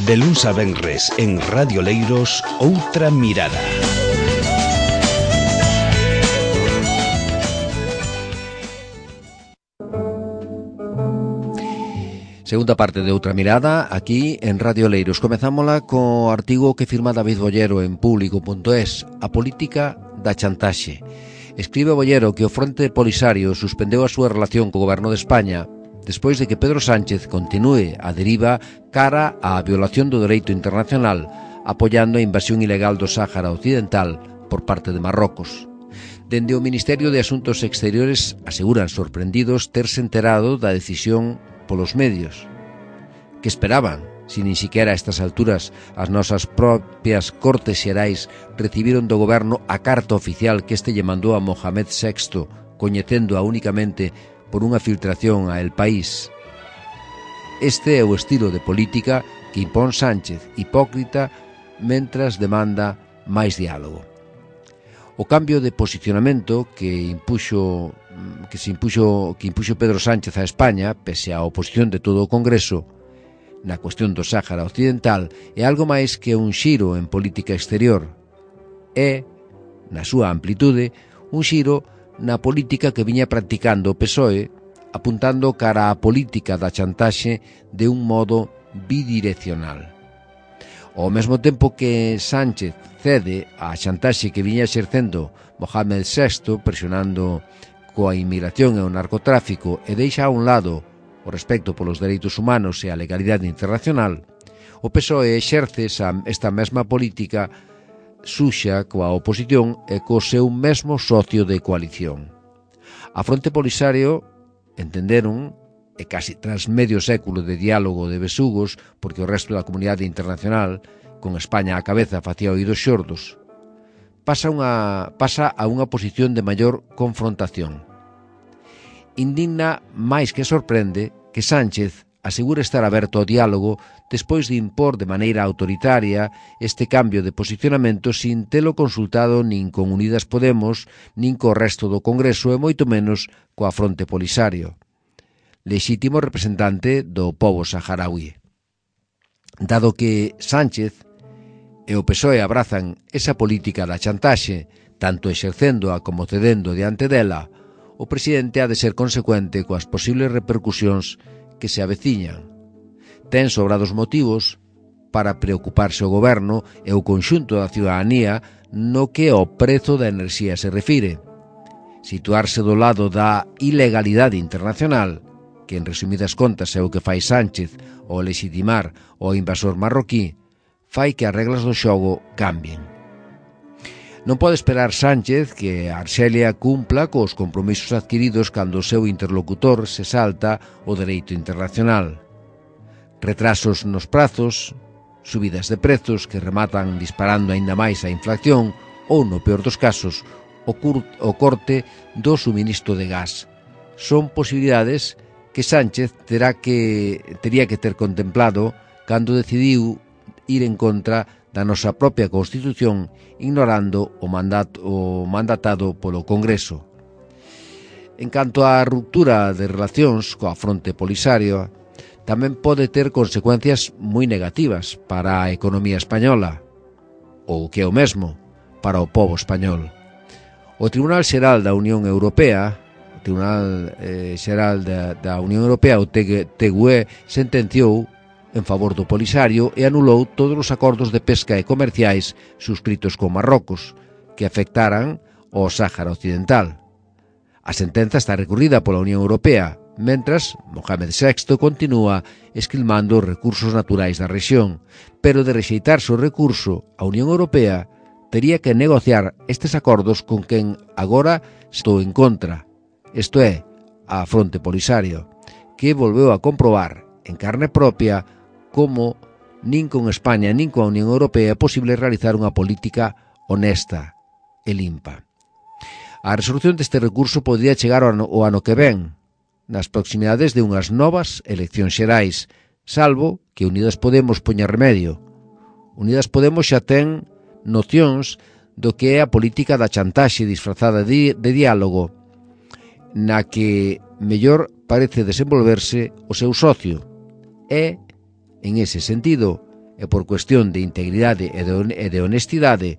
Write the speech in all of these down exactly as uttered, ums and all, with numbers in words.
De luns a venres en Radio Leiros, Outra Mirada. Segunda parte de Outra Mirada, aquí en Radio Leiros. Comezámola co artigo que firma David Bollero en público punto es, A política da chantaxe. Escribe Bollero que o Fronte Polisario suspendeu a súa relación co goberno de España despois de que Pedro Sánchez continúe a deriva cara á violación do dereito internacional, apoiando a invasión ilegal do Sáhara Occidental por parte de Marrocos. Dende o Ministerio de Asuntos Exteriores aseguran sorprendidos terse enterado da decisión polos medios. Que esperaban, se nin siquiera a estas alturas as nosas propias Cortes Xerais recibiron do goberno a carta oficial que este lle mandou a Mohamed sexto, coñecéndoa únicamente por unha filtración a El País. Este é o estilo de política que impón Sánchez, hipócrita, mentras demanda máis diálogo. O cambio de posicionamento que impuxo que se impuxo que impuxo Pedro Sánchez a España, pese á oposición de todo o Congreso, na cuestión do Sáhara Occidental, é algo máis que un xiro en política exterior. É, na súa amplitude, un xiro na política que viña practicando o P S O E, apuntando cara á política da chantaxe de un modo bidireccional. Ao mesmo tempo que Sánchez cede á chantaxe que viña exercendo Mohamed sexto, presionando coa inmigración e o narcotráfico e deixa a un lado o respecto polos dereitos humanos e a legalidade internacional, o P S O E exerce esta mesma política suxa coa oposición e co seu mesmo socio de coalición. A Fronte Polisario entenderon, e casi tras medio século de diálogo de besugos, porque o resto da comunidade internacional, con España á cabeza, facía oídos xordos, pasa, unha, pasa a unha posición de maior confrontación. Indigna máis que sorprende que Sánchez asegura estar aberto ao diálogo despois de impor de maneira autoritaria este cambio de posicionamento sin telo consultado nin con Unidas Podemos, nin co resto do Congreso e moito menos coa Fronte Polisario, lexítimo representante do pobo saharaui. Dado que Sánchez e o P S O E abrazan esa política da chantaxe, tanto exercéndoa como cedendo diante dela, o presidente ha de ser consecuente coas posibles repercusións que se aveciñan. Ten sobrados motivos para preocuparse o goberno e o conxunto da ciudadanía no que ao prezo da enerxía se refire. Situarse do lado da ilegalidade internacional, que en resumidas contas é o que fai Sánchez ao legitimar o invasor marroquí, fai que as reglas do xogo cambien. Non pode esperar Sánchez que Arxelia cumpla cos compromisos adquiridos cando o seu interlocutor se salta o dereito internacional. Retrasos nos prazos, subidas de prezos que rematan disparando aínda máis a inflación ou, no peor dos casos, o, cur- o corte do suministro de gas. Son posibilidades que Sánchez terá que, tería que ter contemplado cando decidiu ir en contra da nosa propia Constitución, ignorando o, mandato, o mandatado polo Congreso. En canto á ruptura de relacións coa Fronte Polisario, tamén pode ter consecuencias moi negativas para a economía española, ou que é o mesmo, para o pobo español. O Tribunal Xeral da Unión Europea, o Tribunal eh, Xeral da, da Unión Europea, o T G U E, sentenciou en favor do Polisario e anulou todos os acordos de pesca e comerciais suscritos con Marrocos que afectaran ao Sáhara Occidental. A sentenza está recurrida pola Unión Europea, mentras Mohamed sexto continúa esquilmando os recursos naturais da rexión, pero de rexeitarse o recurso, a Unión Europea tería que negociar estes acordos con quen agora estou en contra, isto é, a Fronte Polisario, que volveu a comprobar en carne propia como nin con España nin coa Unión Europea é posible realizar unha política honesta e limpa. A resolución deste recurso podría chegar ao ano, ao ano que ven, nas proximidades de unhas novas eleccións xerais, salvo que Unidas Podemos poña remedio. Unidas Podemos xa ten nocións do que é a política da chantaxe disfrazada de, de diálogo, na que mellor parece desenvolverse o seu socio. É, en ese sentido, e por cuestión de integridade e de honestidade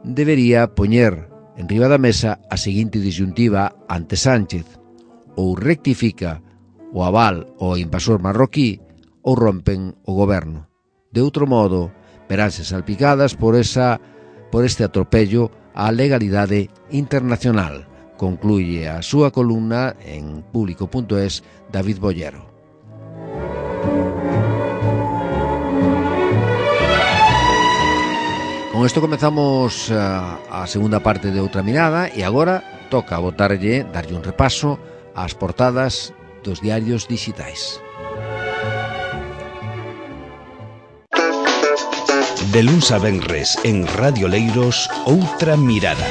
debería poñer en riba da mesa a seguinte disyuntiva ante Sánchez: ou rectifica o aval ao invasor marroquí ou rompen o goberno. De outro modo, veránse salpicadas por, esa, por este atropello á legalidade internacional, concluye a súa columna en público punto es David Bollero. Con isto comezamos a, a segunda parte de Outra Mirada e agora toca botarlle, darlle un repaso ás portadas dos diarios digitais. De luns a venres en Radio Leiros, Outra Mirada.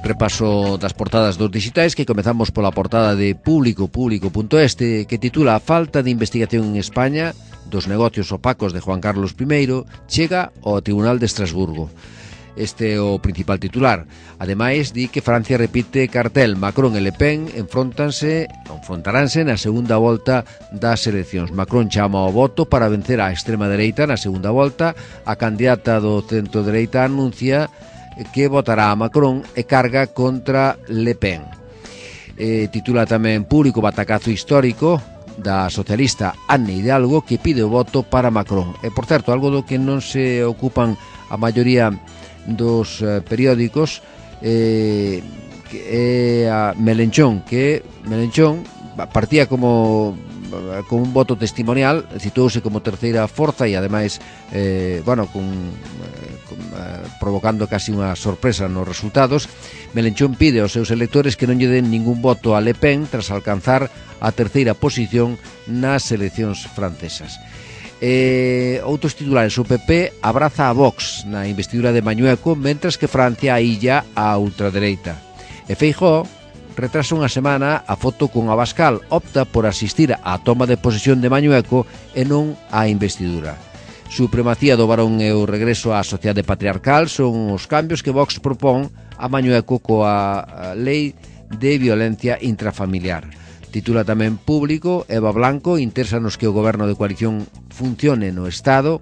Repaso das portadas dos digitais, que comezamos pola portada de público punto es, que titula "A falta de investigación en España dos negocios opacos de Juan Carlos primeiro chega ao Tribunal de Estrasburgo". Este é o principal titular. Ademais, di que Francia repite cartel. Macron e Le Pen enfrontanse, enfrontaránse na segunda volta das eleccións. Macron chama ao voto para vencer a extrema dereita na segunda volta. A candidata do centro dereita anuncia que votará a Macron e carga contra Le Pen. Eh, titula tamén Público batacazo histórico da socialista Anne Hidalgo, que pide o voto para Macron. E, por certo, algo do que non se ocupan a maioría dos eh, periódicos, eh, que é a Melenchón, que Melenchón partía como con un voto testimonial, situouse como terceira forza e ademais eh, bueno, con, con, eh, provocando casi unha sorpresa nos resultados. Melenchón pide aos seus electores que non lle den ningún voto a Le Pen tras alcanzar a terceira posición nas eleccións francesas. Eh, outros titulares: o P P abraza a Vox na investidura de Mañueco, mentras que Francia ailla a ultradereita. E Feijóo retrasa unha semana a foto con Abascal, opta por asistir á toma de posesión de Mañueco e non á investidura. Supremacía do varón e o regreso á sociedade patriarcal son os cambios que Vox propón a Mañueco coa lei de violencia intrafamiliar. Titula tamén Público, Eva Blanco interesa nos que o goberno de coalición funcione no Estado.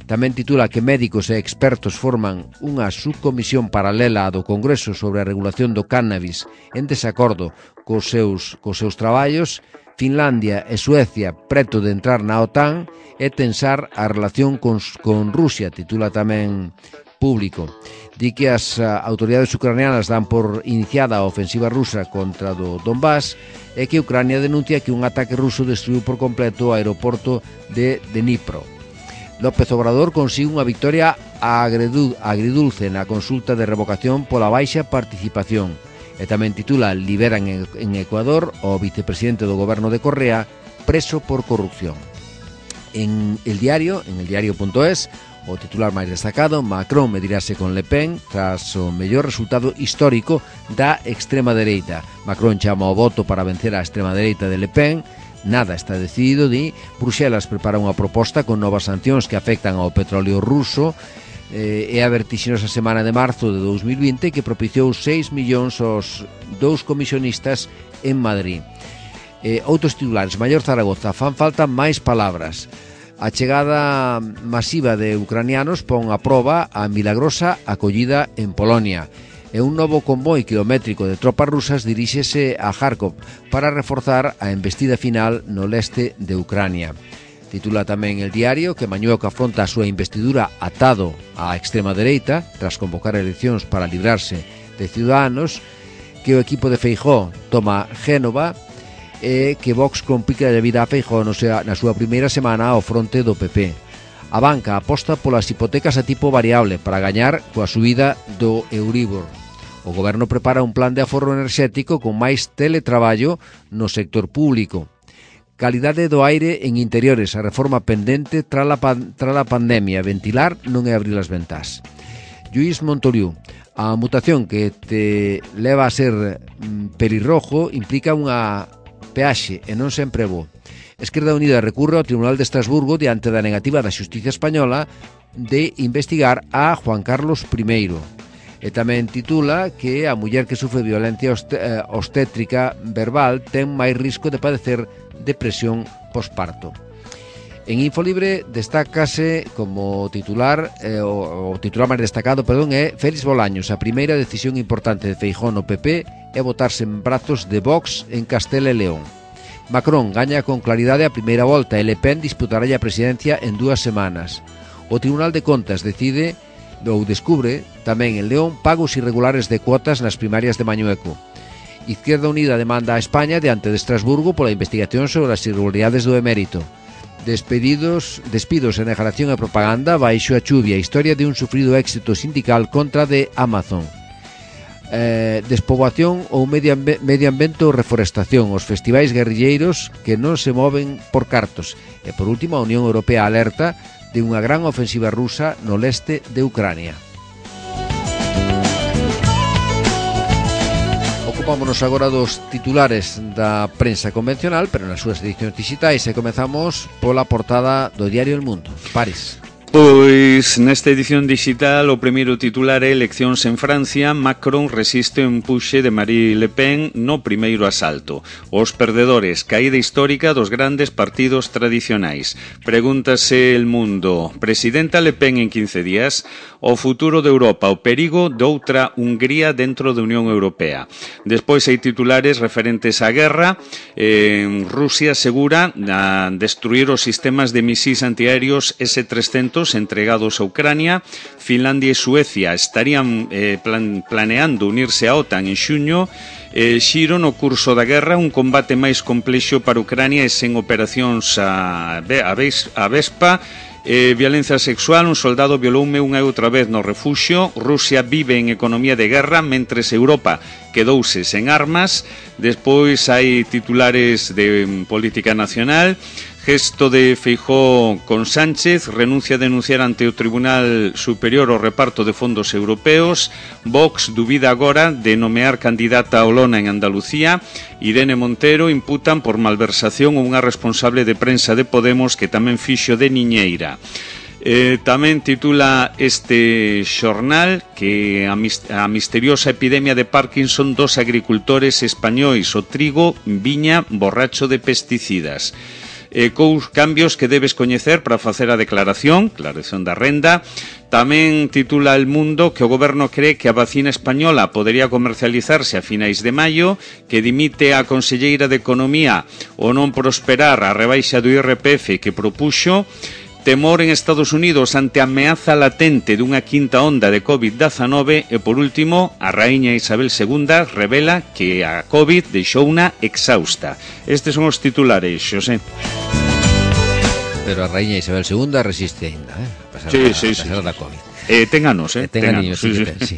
Tamén titula que médicos e expertos forman unha subcomisión paralela do Congreso sobre a regulación do cannabis en desacordo cos seus, cos seus traballos. Finlandia e Suecia preto de entrar na OTAN e tensar a relación con, con Rusia, titula tamén Público. Di que as autoridades ucranianas dan por iniciada a ofensiva rusa contra do Donbass e que Ucrania denuncia que un ataque ruso destruiu por completo o aeroporto de Dnipro. López Obrador consigue unha victoria agridulce na consulta de revocación pola baixa participación. E tamén titula Liberan en Ecuador o vicepresidente do goberno de Correa preso por corrupción. En el diario, en el diario punto es, o titular máis destacado: Macron medirase con Le Pen tras o mellor resultado histórico da extrema dereita. Macron chama ao voto para vencer a extrema dereita de Le Pen. Nada está decidido, di. Bruxelas prepara unha proposta con novas sancións que afectan ao petróleo ruso. Eh, e a vertixinosa semana de marzo de dous mil vinte que propiciou seis millóns aos dous comisionistas en Madrid. Eh, outros titulares: Maior Zaragoza, fan falta máis palabras. A chegada masiva de ucranianos pon a proba a milagrosa acollida en Polonia. E un novo convoi kilométrico de tropas rusas diríxese a Kharkov para reforzar a embestida final no leste de Ucrania. Titula tamén el diario que Mañueco afronta a súa investidura atado á extrema dereita tras convocar eleccións para librarse de Ciudadanos, que o equipo de Feijóo toma Génova e que Vox complica a vida a Feijóo no sea, na súa primeira semana ao fronte do P P. A banca aposta polas hipotecas a tipo variable para gañar coa subida do Euribor. O goberno prepara un plan de aforro enerxético con máis teletraballo no sector público. Calidade do aire en interiores, a reforma pendente tras a, pan, tras a pandemia. Ventilar non é abrir as ventás. Lluís Montoliu: a mutación que te leva a ser mm, pelirrojo implica unha peaxe e non sempre bo. Esquerda Unida recurre ao Tribunal de Estrasburgo diante da negativa da Xustiza Española de investigar a Juan Carlos primeiro. E tamén titula que a muller que sufre violencia obstétrica verbal ten máis risco de padecer depresión posparto. En Infolibre destácase como titular, eh, o, o titular máis destacado, perdón, é Félix Bolaños. A primeira decisión importante de Feijóo no P P é botarse en brazos de Vox en Castela e León. Macron gaña con claridade a primeira volta e Le Pen disputará a presidencia en dúas semanas. O Tribunal de Contas decide ou descubre tamén en León pagos irregulares de cuotas nas primarias de Mañueco. Izquierda Unida demanda a España diante de Estrasburgo pola investigación sobre as irregularidades do emérito. Despedidos, despidos en declaración e propaganda baixo a chuvia, historia de un sufrido éxito sindical contra de Amazon. Eh, despoboación ou medio, ambi- medio ambiente ou reforestación, os festivais guerrilleiros que non se moven por cartos. E por último, a Unión Europea alerta de unha gran ofensiva rusa no leste de Ucrania. Ocupámonos agora dos titulares da prensa convencional, pero nas súas edicións digitais, e comezamos pola portada do diario El Mundo. Paris. Pois nesta edición digital o primeiro titular é eleccións en Francia, Macron resiste o empuxe de Marine Le Pen no primeiro asalto. Os perdedores, caída histórica dos grandes partidos tradicionais. Pregúntase El Mundo, presidenta Le Pen en quince días, o futuro de Europa, o perigo doutra Hungría dentro da Unión Europea. Despois hai titulares referentes á guerra, eh, Rusia asegura a destruir os sistemas de misís antiaéreos ese trescentos entregados a Ucrania. Finlandia e Suecia estarían eh, plan, planeando unirse á OTAN en xuño. Eh, xiro no curso da guerra, un combate máis complexo para Ucrania e sen operacións a, a, a Vespa. Eh, violencia sexual, un soldado violoume unha e outra vez no refuxio. Rusia vive en economía de guerra, mentres Europa quedouse sen armas. Despois hai titulares de um, política nacional. Gesto de Feijóo con Sánchez, renuncia a denunciar ante o Tribunal Superior o reparto de fondos europeos. Vox dubida agora de nomear candidata a Olona en Andalucía. Irene Montero imputan por malversación a unha responsable de prensa de Podemos que tamén fixo de niñeira. Eh, tamén titula este xornal que a, mis, a misteriosa epidemia de Parkinson dos agricultores españois, o trigo viña borracho de pesticidas. Eh, cous cambios que debes coñecer para facer a declaración, declaración da renda. Tamén titula El Mundo que o goberno cree que a vacina española podería comercializarse a finais de maio, que dimite a conselleira de Economía o non prosperar a rebaixa do I R P F que propuxo. Temor en Estados Unidos ante a ameaza latente dunha quinta onda de covid diecinueve e, por último, a raíña Isabel segunda revela que a COVID deixouna exhausta. Estes son os titulares, Xosé. Pero a raíña Isabel segunda resiste ainda, eh? A pesar, sí, da, sí, a pesar sí, da sí. COVID. Eh, ten anos, eh? Ten anos, sí, sí. sí.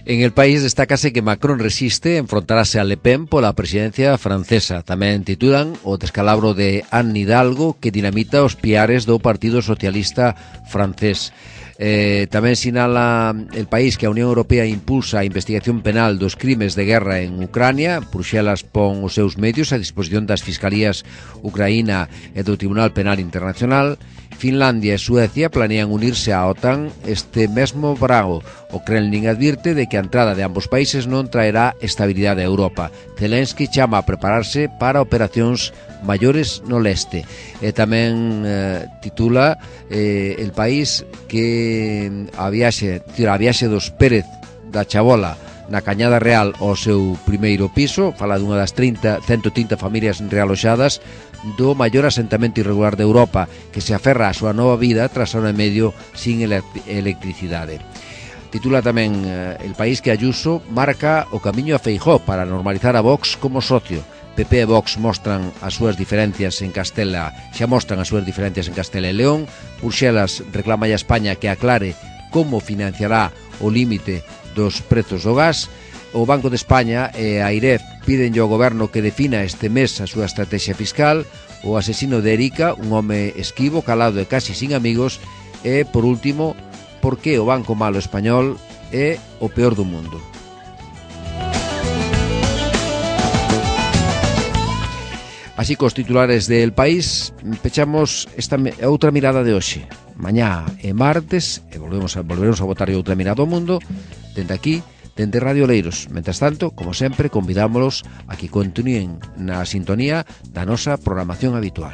En el país destácase que Macron resiste enfrontarase a Le Pen pola presidencia francesa. Tamén titulan o descalabro de Anne Hidalgo que dinamita os piares do Partido Socialista francés. Eh, tamén sinala el país que a Unión Europea impulsa a investigación penal dos crimes de guerra en Ucrania. Bruxelas pon os seus medios a disposición das fiscalías ucraína e do Tribunal Penal Internacional. Finlandia e Suecia planean unirse á OTAN este mesmo verano. O Kremlin advirte de que a entrada de ambos países non traerá estabilidade a Europa. Zelensky chama a prepararse para operacións maiores no leste. E tamén eh, titula eh, el país que a viaxe, a viaxe dos Pérez da Chabola na Cañada Real ao seu primeiro piso, fala dunha das trinta, ciento trinta familias realoxadas do maior asentamento irregular de Europa que se aferra á súa nova vida tras ano e medio sin electricidade. Titula tamén eh, el país que Ayuso marca o camiño a Feijóo para normalizar a Vox como socio. P P e Vox mostran as súas diferencias en Castela, xa mostran as súas diferencias en Castela e León. Bruxelas reclama a España que aclare como financiará o límite dos prezos do gas. O Banco de España e a AIREF piden ao goberno que defina este mes a súa estrategia fiscal. O asesino de Erika, un home esquivo, calado e casi sin amigos. E, por último, por que o Banco Malo Español é o peor do mundo. Así cos titulares del país, pechamos esta outra mirada de hoxe. Mañá é martes e volvemos a, volveremos a botar outra mirada ao mundo. dende aquí, dende Radio Leiros. Mentres tanto, como sempre, convidámolos a que continúen na sintonía da nosa programación habitual.